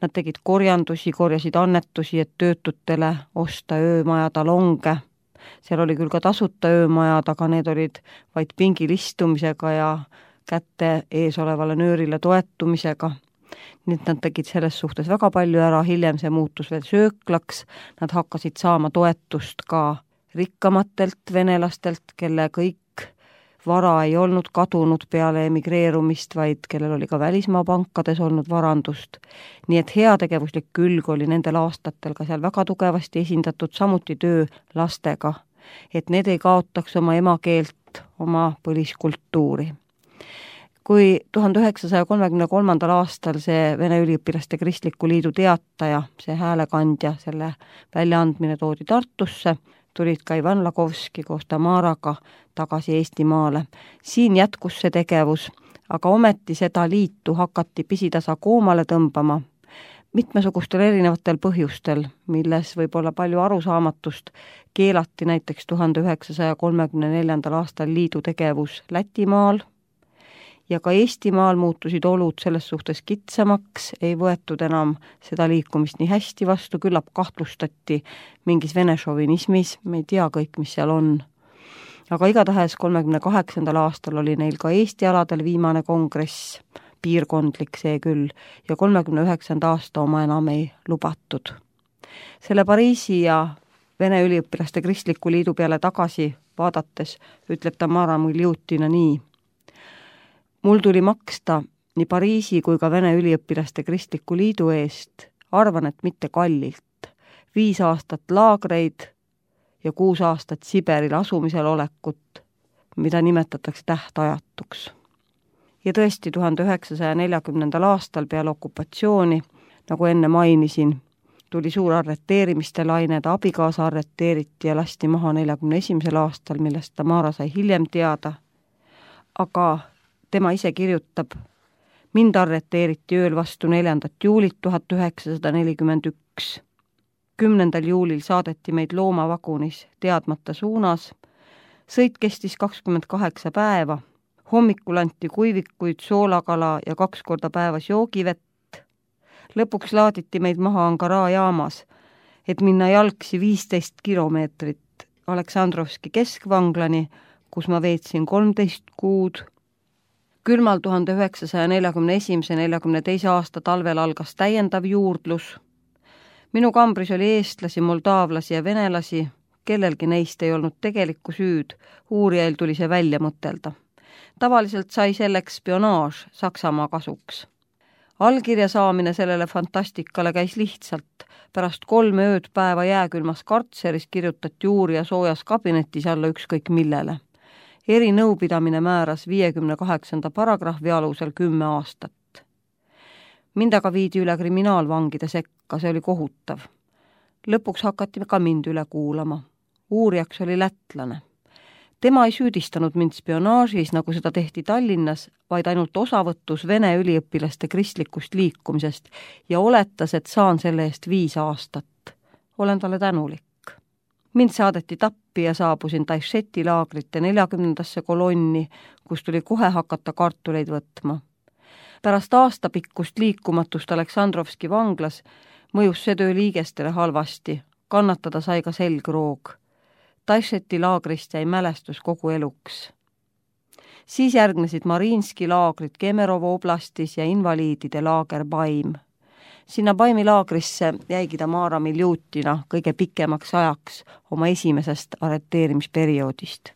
Nad tegid korjandusi, korjasid annetusi, et töötutele osta öömaja talonge. Seal oli küll ka tasuta öömajad, aga need olid vaid pingil istumisega ja kätte ees olevale nöörile toetumisega. Nii et nad tegid selles suhtes väga palju ära, hiljem see muutus veel sööklaks. Nad hakkasid saama toetust ka rikkamatelt venelastelt, kelle kõik vara ei olnud kadunud peale emigreerumist, vaid kellel oli ka välismaa pankades olnud varandust. Nii et heategevuslik külg oli nendel aastatel ka seal väga tugevasti esindatud, samuti töö lastega, et need ei kaotaks oma emakeelt, oma põliskultuuri. Kui 1933. aastal see Vene üliõpilaste kristliku liidu teataja, see häälekandja, selle väljaandmine toodi Tartusse, tulid ka Ivan Lagovski koos Tamaraga tagasi Eestimaale. Siin jätkus see tegevus, aga ometi seda liitu hakati pisitasa koomale tõmbama mitmesugustel erinevatel põhjustel, milles võib olla palju arusaamatust. Keelati näiteks 1934. aastal liidu tegevus Lätimaal ja ka Eestimaal muutusid olud selles suhtes kitsamaks, ei võetud enam seda liikumist nii hästi vastu, küllap kahtlustati mingis vene šovinismis, me ei tea kõik, mis seal on. Aga igatahes 38. aastal oli neil ka Eesti aladel viimane kongress, piirkondlik see küll, ja 39. aasta oma enam ei lubatud. Selle Pariisi ja Vene üliõpilaste kristliku liidu peale tagasi vaadates ütleb Tamara Muljutina nii. Mul tuli maksta nii Pariisi kui ka Vene üliõpilaste kristliku liidu eest, arvan, et mitte kallilt, 5 aastat laagreid ja 6 aastat Siberil asumisel olekut, mida nimetatakse tähtajatuks. Ja tõesti 1940. aastal peale okupatsiooni, nagu enne mainisin, tuli suur arreteerimiste laine, ta abikaasa arreteeriti ja lasti maha 41. aastal, millest Tamara sai hiljem teada, aga tema ise kirjutab, mind arreteeriti ööl vastu 4. juulit 1941. 10. juulil saadeti meid loomavagunis teadmata suunas. Sõit kestis 28 päeva. Hommikul anti kuivikuid, soolakala ja 2 korda päevas joogivett. Lõpuks laaditi meid maha Ankara jaamas, et minna jalgsi 15 kilomeetrit Aleksandrovski keskvanglani, kus ma veetsin 13 kuud. Külmal 1941-42 aasta talvel algas täiendav juurdlus. Minu kambris oli eestlasi, moldaavlasi ja venelasi, kellelgi neist ei olnud tegelikku süüd, uurijail tuli see välja mõtelda. Tavaliselt sai selleks spionaaž Saksamaa kasuks. Allkirja saamine sellele fantastikale käis lihtsalt. Pärast 3 ööd päeva jääkülmas kartseris kirjutati uurija soojas kabinetis alla ükskõik millele. Erinõupidamine määras 58. paragrahvi alusel 10 aastat. Mind aga viidi üle kriminaalvangide sekka, see oli kohutav. Lõpuks hakati ka mind üle kuulama. Uurijaks oli lätlane. Tema ei süüdistanud mind spionaažis, nagu seda tehti Tallinnas, vaid ainult osavõtus Vene üliõpilaste kristlikust liikumisest ja oletas, et saan selle eest 5 aastat. Olen talle tänulik. Mind saadeti Tappi ja saabusin Taišeti laagrite 40. kolonni, kus tuli kohe hakata kartuleid võtma. Pärast aastapikkust liikumatust Aleksandrovski vanglas mõjus see töö liigestele halvasti, kannatada sai ka selgroog. Taišeti laagrist jäi mälestus kogu eluks. Siis järgnesid Mariinski laagrid Kemerovo oblastis ja invaliidide laager Baim. Sinna Baimi laagrisse jäigi Tamara Miljutina kõige pikemaks ajaks oma esimesest arreteerimisperioodist.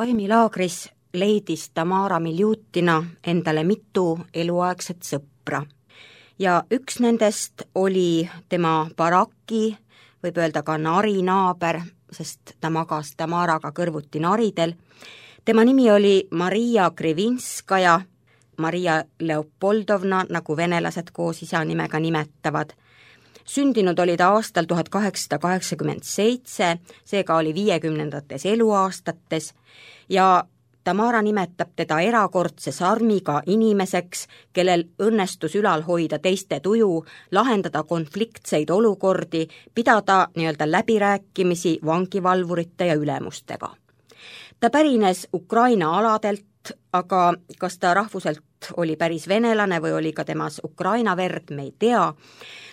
Valmilaagris leidis Tamara Miljutina endale mitu eluaegset sõpra ja üks nendest oli tema baraki, võib öelda ka narinaaber, sest ta magas Tamaraga kõrvuti naridel. Tema nimi oli Maria Krivinskaja, Maria Leopoldovna, nagu venelased koos isa nimega nimetavad. Sündinud oli ta aastal 1887, seega oli 50ndates eluaastates ja Tamara nimetab teda erakordse sarmiga inimeseks, kellel õnnestus ülal hoida teiste tuju, lahendada konfliktseid olukordi, pidada nii-öelda läbirääkimisi vangivalvurite ja ülemustega. Ta pärines Ukraina aladelt, aga kas ta rahvuselt oli päris venelane või oli ka temas Ukraina verd, me ei tea.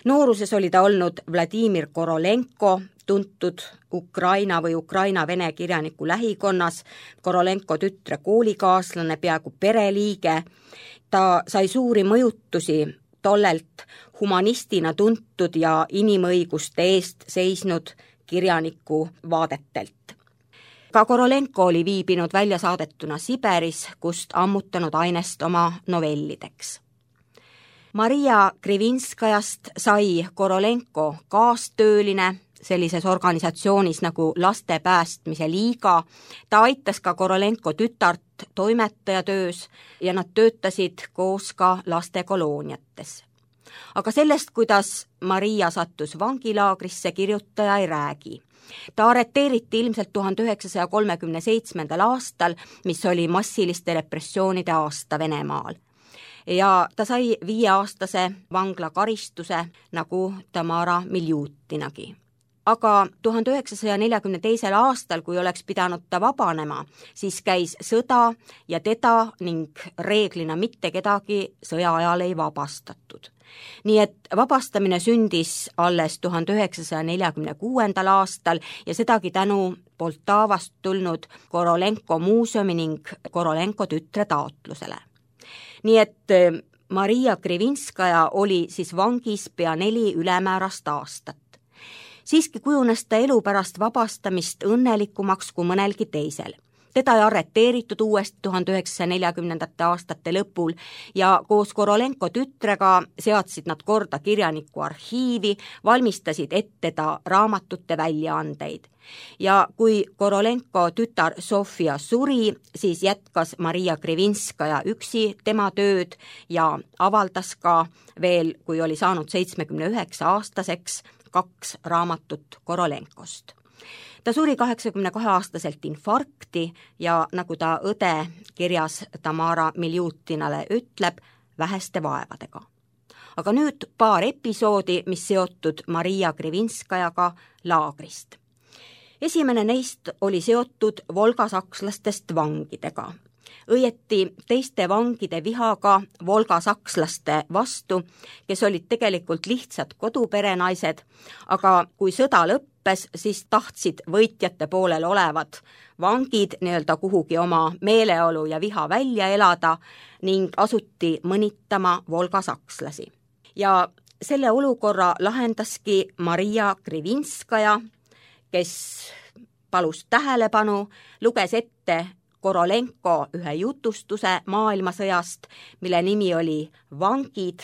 Nooruses oli ta olnud Vladimir Korolenko, tuntud Ukraina või Ukraina vene kirjaniku lähikonnas, Korolenko tütre koolikaaslane, peaaegu pereliige. Ta sai suuri mõjutusi tollelt humanistina tuntud ja inimõiguste eest seisnud kirjaniku vaadetelt. Ka Korolenko oli viibinud väljasaadetuna Siberis, kust ammutanud ainest oma novellideks. Maria Krivinskajast sai Korolenko kaastööline sellises organisatsioonis nagu Laste päästmise liiga. Ta aitas ka Korolenko tütart toimetajatöös ja nad töötasid koos ka lastekolooniates. Aga sellest, kuidas Maria sattus vangilaagrisse, kirjutaja ei räägi. Ta arreteeriti ilmselt 1937. aastal, mis oli massiliste repressioonide aasta Venemaal. Ja ta sai 5-aastase vanglakaristuse nagu Tamara Miljutinagi. Aga 1942. aastal, kui oleks pidanud ta vabanema, siis käis sõda ja teda ning reeglina mitte kedagi sõja ajal ei vabastatud. Nii et vabastamine sündis alles 1946. aastal ja sedagi tänu Poltavast tulnud Korolenko muuseumi ning Korolenko tütre taotlusele. Nii et Maria Krivinskaja oli siis vangis pea 4 ülemäärast aastat. Siiski kujunes ta elu pärast vabastamist õnnelikumaks kui mõnelgi teisel. Teda ei arreteeritud uuesti 1940. aastate lõpul ja koos Korolenko tütrega seadsid nad korda kirjaniku arhiivi, valmistasid ette ta raamatute väljaandeid. Ja kui Korolenko tütar Sofia suri, siis jätkas Maria Krivinskaja üksi tema tööd ja avaldas ka veel, kui oli saanud 79-aastaseks, 2 raamatut Korolenkost. Ta suri 82-aastaselt infarkti ja nagu ta õde kirjas Tamara Miljutinale ütleb, väheste vaevadega. Aga nüüd paar episoodi, mis seotud Maria Krivinskajaga laagrist. Esimene neist oli seotud volgasakslastest vangidega. Õieti teiste vangide vihaga volgasakslaste vastu, kes olid tegelikult lihtsad koduperenaised, aga kui sõda lõppes, siis tahtsid võitjate poolel olevad vangid nii-öelda kuhugi oma meeleolu ja viha välja elada ning asuti mõnitama volgasakslasi. Ja selle olukorra lahendaski Maria Krivinskaja, kes palus tähelepanu, luges ette Korolenko ühe jutustuse maailmasõjast, mille nimi oli Vangid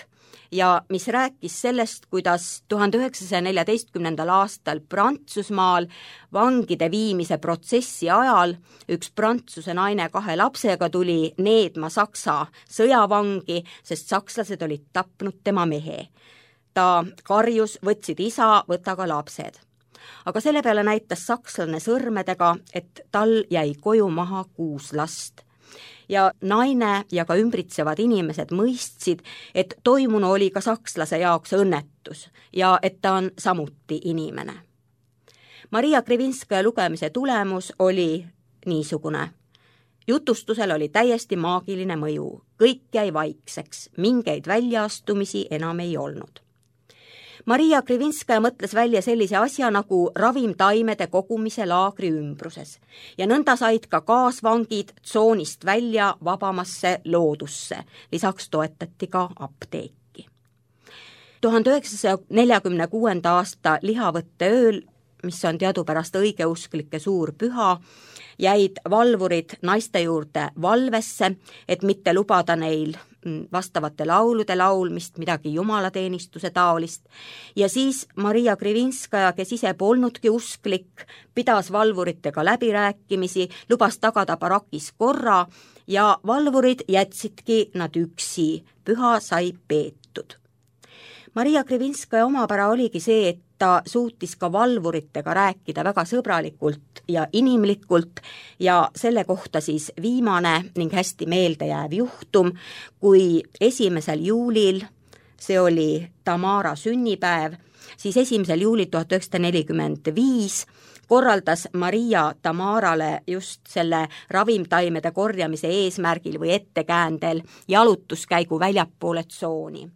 ja mis rääkis sellest, kuidas 1914. aastal Prantsusmaal vangide viimise protsessi ajal üks Prantsuse naine 2 lapsega tuli needma Saksa sõjavangi, sest sakslased olid tapnud tema mehe. Ta karjus, võtsid isa, võta ka lapsed. Aga selle peale näitas sakslane sõrmedega, et tal jäi koju maha 6 last. Ja naine ja ka ümbritsevad inimesed mõistsid, et toimunu oli ka sakslase jaoks õnnetus ja et ta on samuti inimene. Maria Krivinskaja lugemise tulemus oli niisugune. Jutustusel oli täiesti maagiline mõju, kõik jäi vaikseks, mingeid väljaastumisi enam ei olnud. Maria Krivinskaja mõtles välja sellise asja nagu ravimtaimede kogumise laagri ümbruses ja nõnda said ka kaasvangid tsoonist välja vabamasse loodusse, lisaks toetati ka apteeki. 1946. aasta lihavõtte ööl, mis on teadupärast õigeusklike suur püha, jäid valvurid naiste juurde valvesse, et mitte lubada neil vastavate laulude laulmist, midagi jumalateenistuse taolist. Ja siis Maria Krivinskaja, kes ise polnudki usklik, pidas valvuritega läbirääkimisi, lubas tagada barakis korra ja valvurid jätsidki nad üksi, püha sai peetud. Maria Krivinskaja omapära oligi see, et ta suutis ka valvuritega rääkida väga sõbralikult ja inimlikult ja selle kohta siis viimane ning hästi meeldejääv juhtum, kui 1. juulil, see oli Tamara sünnipäev, siis 1. juulil 1945 korraldas Maria Tamarale just selle ravimtaimede korjamise eesmärgil või ettekäändel jalutuskäigu väljapoole tsooni.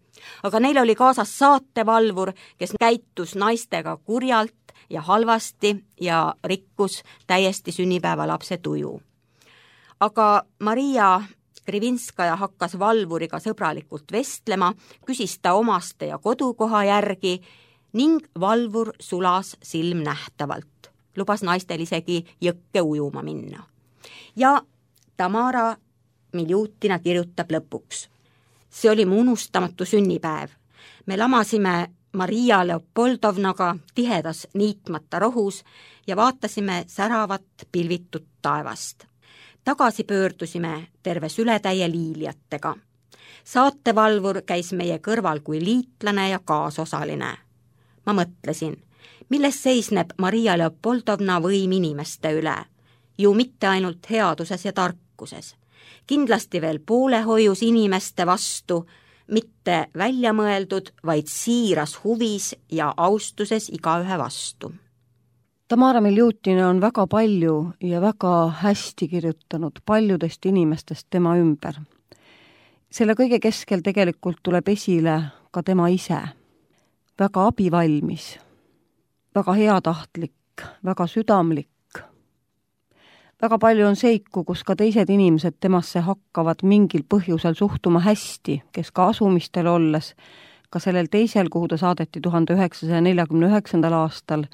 Aga neil oli kaasas saatevalvur, kes käitus naistega kurjalt ja halvasti ja rikkus täiesti sünnipäevalapse tuju. Aga Maria Krivinskaja hakkas valvuriga sõbralikult vestlema, küsis ta omaste ja kodukoha järgi ning valvur sulas silmnähtavalt. Lubas naistel isegi jõkke ujuma minna. Ja Tamara Miljutina kirjutab lõpuks. See oli mu unustamatu sünnipäev. Me lamasime Maria Leopoldovnaga tihedas niitmata rohus ja vaatasime säravat pilvitut taevast. Tagasi pöördusime terve sületäie liiliatega. Saatevalvur käis meie kõrval kui liitlane ja kaasosaline. Ma mõtlesin, milles seisneb Maria Leopoldovna võim inimeste üle? Ju mitte ainult headuses ja tarkuses. Kindlasti veel poolehoius inimeste vastu, mitte väljamõeldud, vaid siiras huvis ja austuses igaühe vastu. Tamara Miljutina on väga palju ja väga hästi kirjutanud paljudest inimestest tema ümber. Selle kõige keskel tegelikult tuleb esile ka tema ise. Väga abivalmis, väga heatahtlik, väga südamlik. Väga palju on seiku, kus ka teised inimesed temasse hakkavad mingil põhjusel suhtuma hästi, kes ka asumistel olles, ka sellel teisel, kuhu ta saadeti 1949. aastal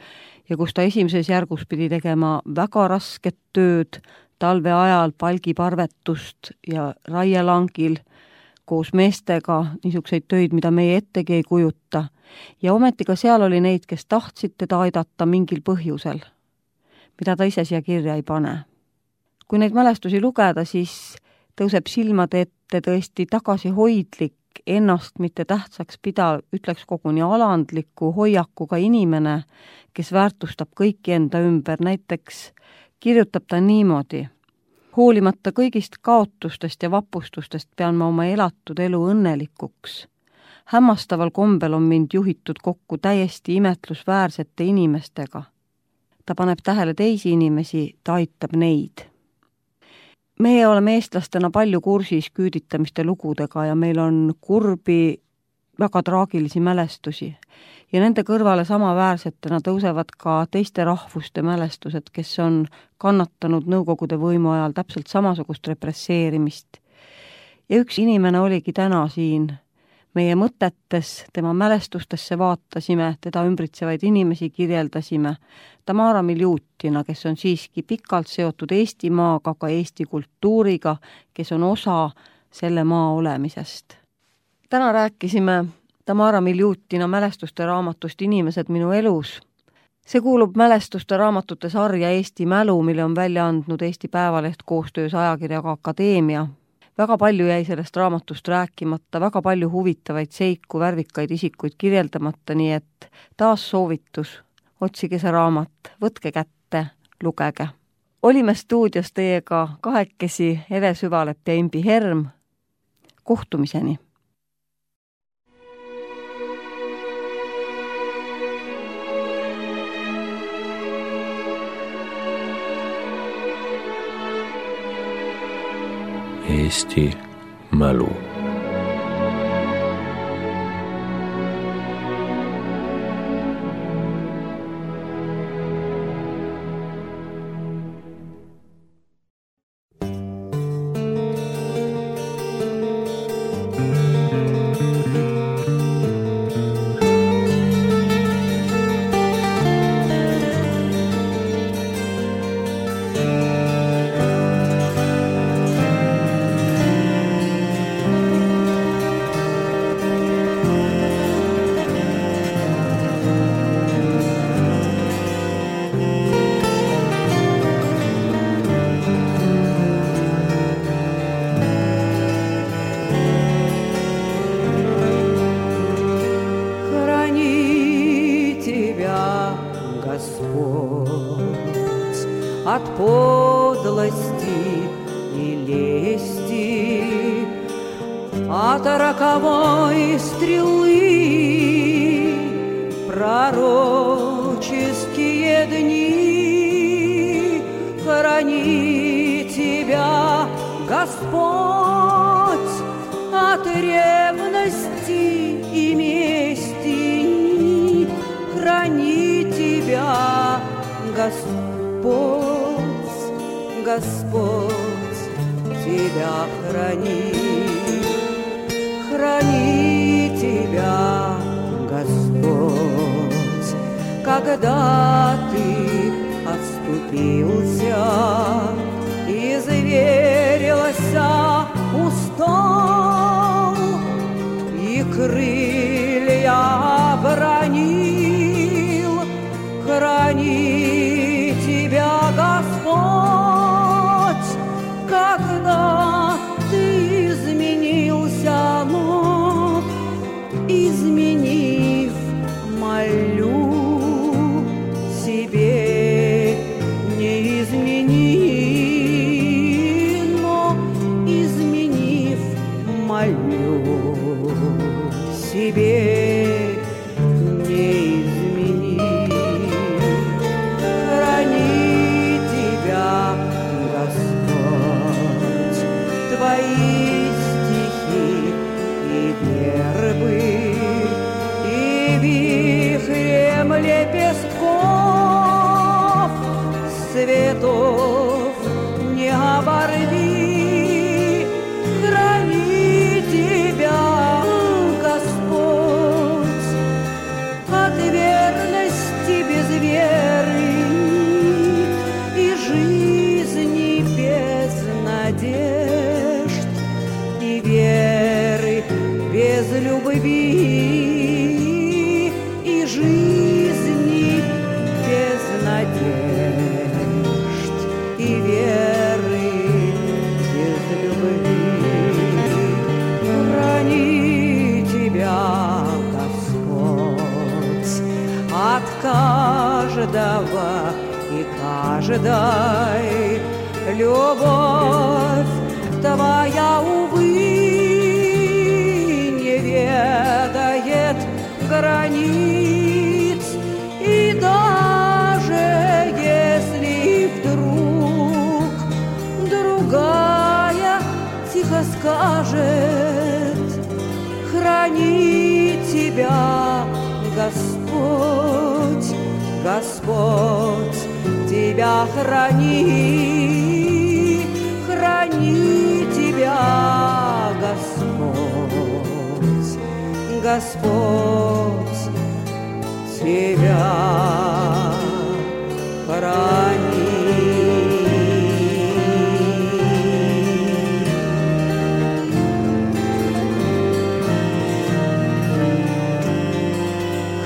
ja kus ta esimeses järgus pidi tegema väga rasket tööd, talve ajal palgiparvetust ja raielangil koos meestega niisuguseid töid, mida meie ettegi ei kujuta. Ja ometi ka seal oli neid, kes tahtsid teda aidata mingil põhjusel, mida ta ise siia kirja ei pane. Kui neid mälestusi lugeda, siis tõuseb silmade ette tõesti tagasihoidlik, ennast mitte tähtsaks pidav, ütleks koguni alandliku hoiakuga inimene, kes väärtustab kõiki enda ümber. Näiteks kirjutab ta niimoodi. Hoolimata kõigist kaotustest ja vapustustest pean ma oma elatud elu õnnelikuks. Hämmastaval kombel on mind juhitud kokku täiesti imetlusväärsete inimestega. Ta paneb tähele teisi inimesi, ta aitab neid. Meie oleme eestlastena palju kursis küüditamiste lugudega ja meil on kurbi, väga traagilisi mälestusi. Ja nende kõrvale samaväärsetena tõusevad ka teiste rahvuste mälestused, kes on kannatanud Nõukogude võimu ajal täpselt samasugust represseerimist. Ja üks inimene oligi täna siin. Meie mõtetes, tema mälestustesse vaatasime, teda ümbritsevaid inimesi kirjeldasime. Tamara Miljutina, kes on siiski pikalt seotud Eesti maaga, ka Eesti kultuuriga, kes on osa selle maa olemisest. Täna rääkisime Tamara Miljutina mälestuste raamatust Inimesed minu elus. See kuulub mälestuste raamatute sarja Eesti mälu, mille on välja andnud Eesti Päevaleht koostöös ajakirjaga Akadeemia. Väga palju jäi sellest raamatust rääkimata, väga palju huvitavaid seiku, värvikaid isikuid kirjeldamata, nii et taas soovitus, otsige see raamat, võtke kätte, lugege. Olime stuudios teiega kahekesi Eve Süvalep ja Imbi Herm. Kohtumiseni! Eesti mälu. от подлости и лести, от роковой стрелы пророческие дни. Храни тебя Господь от ревности и мести. Храни тебя Господь, Господь тебя хранит. Храни тебя Господь, когда ты отступился и заверился, устал, и крылья обронил. Храни тебя Господь, когда ты изменился, но изменив, молю, себе не измени, но изменив, молю, себе не измени. Храни тебя Господь, твои стихи и вербы, и вихрем лепестков цветов не оборви. Храни тебя Господь от верности без веры и жизни без надежд, и веры без любви, и жизни без надежд, и веры без любви. Храни тебя Господь от каждого и каждой. Любовь твоя, увы, не ведает границ, и даже если вдруг другая тихо скажет, храни тебя Господь, Господь тебя храни. Храни тебя Господь, Господь тебя храни.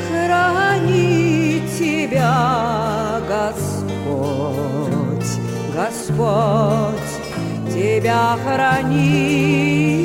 Храни тебя Господь, Господь тебя храни.